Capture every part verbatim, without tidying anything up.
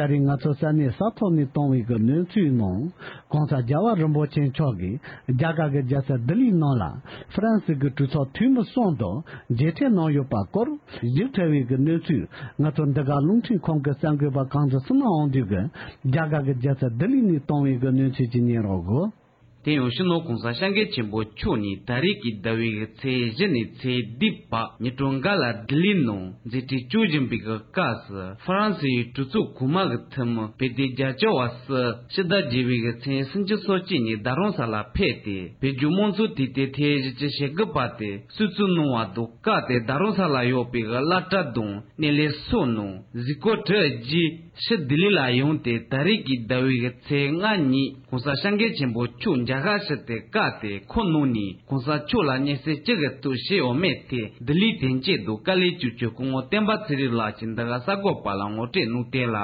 ད་རེས་ང་ཚོ་ས་གནས་ས་ཐོག་ནས་བཏང་བའི་གི་གནས་ཚུལ་ནང་། ༸གོང་ས་རྒྱལ་བ་རིན་པོ་ཆེ་མཆོག་གིས་རྒྱ་གར་གྱི་རྒྱལ་ས་ལྡི་ལིའི་ནང་ལ་ཧྥ་རན་སི་གི་གྲོས་ཚོགས་འཐུས་མི་གསུམ་དང་མཇལ་འཕྲད་གནང་ཡོད་པ་སྐོར་ཞིབ་ཕྲ་བའི་གི་གནས་ཚུལ། ང་ཚོ་འདི་ག་རླུང་འཕྲིན་ཁང་གི་གསར་འགོད་པ་གངས་ལྗོངས་བསོད་ནམས་དབང་འདུས་ཀྱིས་རྒྱ་གར་གྱི་རྒྱལ་ས་ལྡི་ལི་ནས་བཏང་བའི་གི་གནས་ཚུལ་ཅིག་ཉན་རོགས་གོ། དེ་ཡང་སྤྱི་ནོར་༸གོང་ས་༸སྐྱབས་མགོན་ཆེན་པོ་མཆོག་ནས་ད་རེས་ཀྱི་ཟླ་བའི་གི་ཚེས་བཞི་ནས་ཚེས་བདུན་བར་ཉི་གྲངས་འགའ་ལ་ལྡི་ལི་ནང་མཛད་འཕྲིན་སྐྱོང་བཞིན་པའི་གི་སྐབས་སུ་ཧྥ་རན་སི་ཡི་གྲོས་ཚོགས་གོང་མ་གི་འཐུས་མི་བོད་དོན་རྒྱབ་སྐྱོར་བ་སུ་ཕྱི་ཟླ་བརྒྱད་པའི་གི་ཚེས་སུམ་ཅུ་སོ་གཅིག་ཉིན་རྡ་རམ་ས་ལ་ཕེབས་ཏེ་བོད་བརྒྱུད་དམངས་གཙོ་དེ་དེ་ཐེངས་བཞི་བཅུ་ཞེ་དགུ་པ་དེ་གསོལ་ཚིགས་གནང་བ་དང་། སྐབས་དེར་རྡ་རམ་ས་ལ་ཡོད་པའི་གི་བླ་གྲྭ་དང་སྣེ་ལེན་སོགས་ནང་གཟིགས་སྐོར་གྲུབ་རྗེས་ཕྱིར་ལྡི་ལི་ལ་ཡོང་སྟེ་ད་རེས་ཀྱི་ཟླ་བའི་གི་ཚེས་ལྔ་ཉིན་༸གོང་ས་༸སྐྱབས་མགོན་ཆེན་པོ་མཆོག་མཇལ་ཁ་ཞུས་ཏེ། སྐབས་དེར་ཁོ་ནང་ནས་༸གོང་ས་མཆོག་ལ་སྙན་སེང་ཅི་གི་ཐོག་ཞུས་ཡོད་མེད་ཐད་ལྡི་ལིའི་དོན་གཅོད་དང་དཀའ་ལས་གཅོད་རྒྱུ་སྐུ་ངོ་བསྟན་པ་ཚེ་རིང་ལགས་ཀྱིས་འདི་ག་གསར་འགོད་པ་ལ་ངོ་སྤྲོད་གནང་དོན་ལ།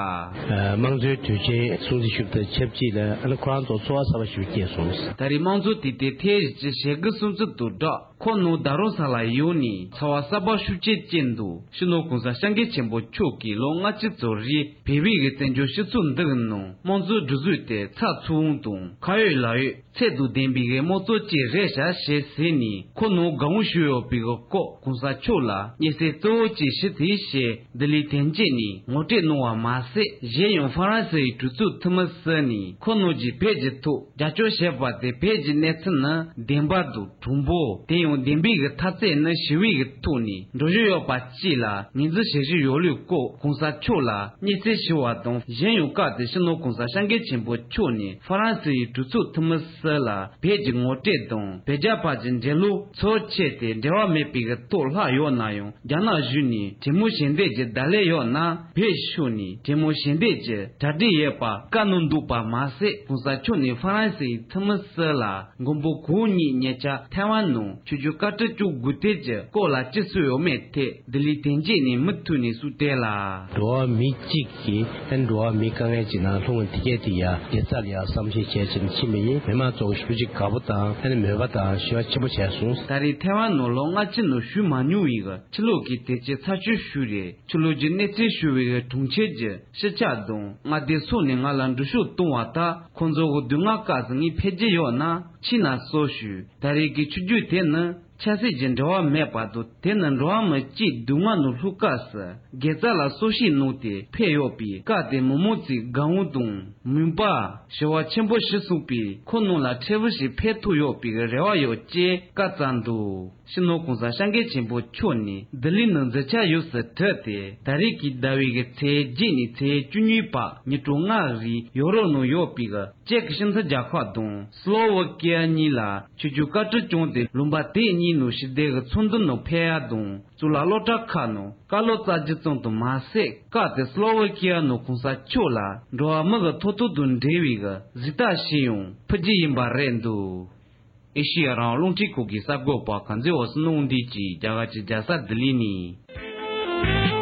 དམངས་གཙོའི་དུས་ཆེན་སྲུང་བརྩི་ཞུ་བ་དང་ཆབས་ཅིག་ལ་ཨ་ནི་ཁོ་རང་ཚོ་ཚོར་བ་གསར་པ་ཞིག་སྐྱེས་སོང་། ད་རེས་དམངས་གཙོ་དེ་དེ་ཐེངས་བཞི་བཅུ་ཞེ་དགུ་སྲུང་བརྩི་དང་སྦྲགས། ཁོ་ནང་རྡ་རམ་ས་ལ་ཡོང་ནས་ཚོར་བ་གསར་པ་ཤུགས་ཆེ་སྐྱེས་འདུག་སྤྱི་ནོར་༸གོང་ས་༸སྐྱབས་མགོན་ཆེན་པོ་མཆོག་གིས་ལོ་ལྔ་བཅུ་ཙམ་རིང་བོད་པའི་གི་བཙན་བྱོལ་སྤྱི་ཚོགས་འདིའི་ནང་དམངས་གཙོའི་སྒྲིག་འཛུགས་དེ་ཚགས་ཚུད་དང་ཁ་ཡོད་ལག་ཡོད་ཚད་དང་ལྡན་པའི་གི་དམངས་གཙོ་ཅིག་རེད་ཤག་ཞེས་ཟེར་ནས་ཁོ་ནང་དགའ་བོ་ཞུས་ཡོད་པའི་གི་སྐོར་༸གོང་ས་མཆོག་ལ་སྙན་སེང་གཙོ་བོ་ཅིག་ཞུས་ཏེ་ཞེས་ལྡི་ལིའི་དོན་གཅོད་ནས་ངོ་སྤྲོད་གནང་བ་མ་ཟད། གཞན་ཡང་ཧྥ་རན་སི་ཡི་གྲོས་ཚོགས་འཐུས་མི་སུ་ནས་ཁོ་ནང་གི་བོད་ཀྱི་ཐོག་རྒྱབ་སྐྱོར་བྱས་པ་དེ་བོད་ཀྱི་གནས་ཚུལ་ནི་བདེན་པ་དང་། དྲང་པོ། དེ་ཡང་བདེན་པའི་གི་མཐའ་ཚད་ནི་ཞི་བའི་གི་ཐོག་ནས་འགྲོ་བཞིན་ཡོད་པ་བཅས་ལ་ངོས་འཛིན་བྱེད་བཞིན་ཡོད་ལུགས་སྐོར་༸གོང་ས་མཆོག་ལ་སྙན་སེང་ཞུ་བ་དང་། གཞན་ཡང་སྐབས་དེར་སྤྱི་ནོར་༸གོང་ས་༸སྐྱབས་མགོན་ཆེན་པོ་མཆོག་ནས་ཧྥ་རན་སི་ཡི་གྲོས་ཚོགས་འཐུས་མི་སུ་ལ་བོད་ཀྱི་ངོ་སྤྲོད་དང་བོད་རྒྱ་བར་གྱི་འབྲེལ་ལོ་ཚོར་ཆེད་དེ་འབྲེལ་བ་མེད་པའི་གི་ཐོག་ལྷག་ཡོད་ན་ཡང་། རྒྱ་ནག་གཞུང་ནས་གྲོས་མོལ་ཞུ་འདོད་ཀྱི་བརྡ་ལན་ཡོད་ན། བོད་ཕྱོགས་ནས་གྲོས་མོལ་ཞུ་འདོད་ཀྱི་གྲ་སྒྲིག་ཡོད་པ་བཀའ་གནང་འདུག་པ་མ་ཟད། ༸གོང་ས་མཆོག་ནས་ཧྥ་རན་སི་ཡི་འཐུས་མི་སུ་ལ་མགོན་པོ་གང་ཉིད་ཉེ་ཆར་ཐའེ་ཝན་ནང་ཆོས་བརྒྱུད་བཀའ་དྲིན་སྐྱོང་དགོས་དོན་གྱི་སྐོར་ལ་ཅི་གསུངས་ཡོད་མེད་ཐད་ལྡི་ལིའི་དོན་གཅོད་ནས་མུ་མཐུད་ནས་གསུངས་དོན་ལ། འགྲོ་བ་མི་གཅིག་གིས་ཨ་ནི་འགྲོ་བ་མིའི་དཀའ་ངལ་ཅིག་ནང་ལྷུང་བ་དེ་གས་དེ་ཡ་དགེ་རྩ་ལ་ཡ་བསམ་ཤེས་བྱས་ཕྱིན་ཕྱིན་པ་ཡིན། མི་མང་ཚོ་ཞེ་པོ་ཅིག་དགའ་པོ་དང་ཨ་ནི་མོས་པ་དང་ཞེ་པོ་ཆེན་པོ་བྱས་སོང་། ད་རེས་ཐའེ་ཝན་ནང་ལོ་ལྔ་བཅུ་ནང་བཞུགས་མ་མྱོང་བའི་གི་ཕྱི་ལོགས་ཀྱི་དེ་ཆེ་ཚ་ཤོས་ཤིག་རེད། ཕྱི་ལོགས་ཀྱི་གནས་ཚུལ་ཞུ་བའི་གི་དྲུང་ཆེ་གི་སྤྱི་ཁྱབ་དང་མངའ་སྡེ་སོགས་ནས་ང་ལ་འགྲེལ་བཤད་གཏོང་བ་ལྟར། ཁོང་ཚོ་གི་སྡུག་བསྔལ་སྐབས་སུ་ངས་ཕེབས་རྒྱུ་ཡོད་ན་ཕྱིན་ན་གསོལ་ཞུས། ད་རེས་ཀྱི་ཆིབས་བསྒྱུར་དེ་ནི་ཆབ་སྲིད་ཀྱི་འབྲེལ་བ་མེད་པ་དང་། དེ་ནི་འགྲོ་བ་མི་གཅིག་སྡུག་བསྔལ་ནང་ལྷུང་སྐབས་སུ་དགེ་རྩ་ལ་གསོལ་ཞིག་གནང་སྟེ་ཕེབས་ཡོད་པས། སྐབས་དེར་མི་མང་ཚོས་དགའ་བོ་དང་མོས་པ་ཞེ་པོ་ཆེན་པོ་ཞིག་གསུངས་པས། ཁོ་ནང་ལ་འཕྲལ་བུ་ཞིག་ཕེབས་ཐུབ་ཡོད་པའི་རེ་བ་ཡོད་ཅེས་བཀའ་སྩལ་འདུག་སྤྱི་ནོར་༸གོང་ས་༸སྐྱབས་མགོན་ཆེན་པོ་མཆོག་ནས་ལྡི་ལི་ནང་མཛད་འཆར་ཡོངས་སུ་གྲུབ་སྟེ། ད་རེས་ཀྱི་ཟླ་བའི་གི་ཚེས་བརྒྱད་ནས་ཚེས་བཅུ་གཉིས་བར་ཉིན་གྲངས་ལྔ་རིང་ཡོ་རོབ་ནང་ཡོད་པའི་གི་ཅེཀ་སྤྱི་མཐུན་རྒྱལ་ཁབ་དང་སི་ལོ་ཝེ་ཀི་ཡ་གཉིས་ལ་ཆོས་བརྒྱུད་བཀའ་དྲིན་སྐྱོང་དེ་ལུང་པ་དེ་གཉིས་ནང་ཞི་བདེ་གི་ཚོགས་འདུ་ནང་ཕེབས་ཡ་དང་། གཙུག་ལག་སློབ་གྲྭ་ཁག་ནང་བཀའ་སློབ་སྩལ་རྒྱུ་ཙམ་དུ་མ་ཟད། སྐབས་དེར་སི་ལོ་ཝེ་ཀི་ཡ་ནང་༸གོང་ས་མཆོག་ལ་འགྲོ་བ་མི་གི་ཐོབ་ཐང་དང་འབྲེལ་བའི་གི་གཟེངས་རྟགས་ཤིག་ཡང་ཕུལ་རྒྱུ་ཡིན་པ་རེད་འདུག་ཨེ་ཤི་ཡ་རང་དབང་རླུང་འཕྲིན་ཁང་གི་གསར་འགོད་པ་གངས་འཛིན་བསོད་ནམས་དབང་འདུས་ཀྱིས་རྒྱ་གར་གྱི་རྒྱལ་ས་ལྡི་ལི་ནས།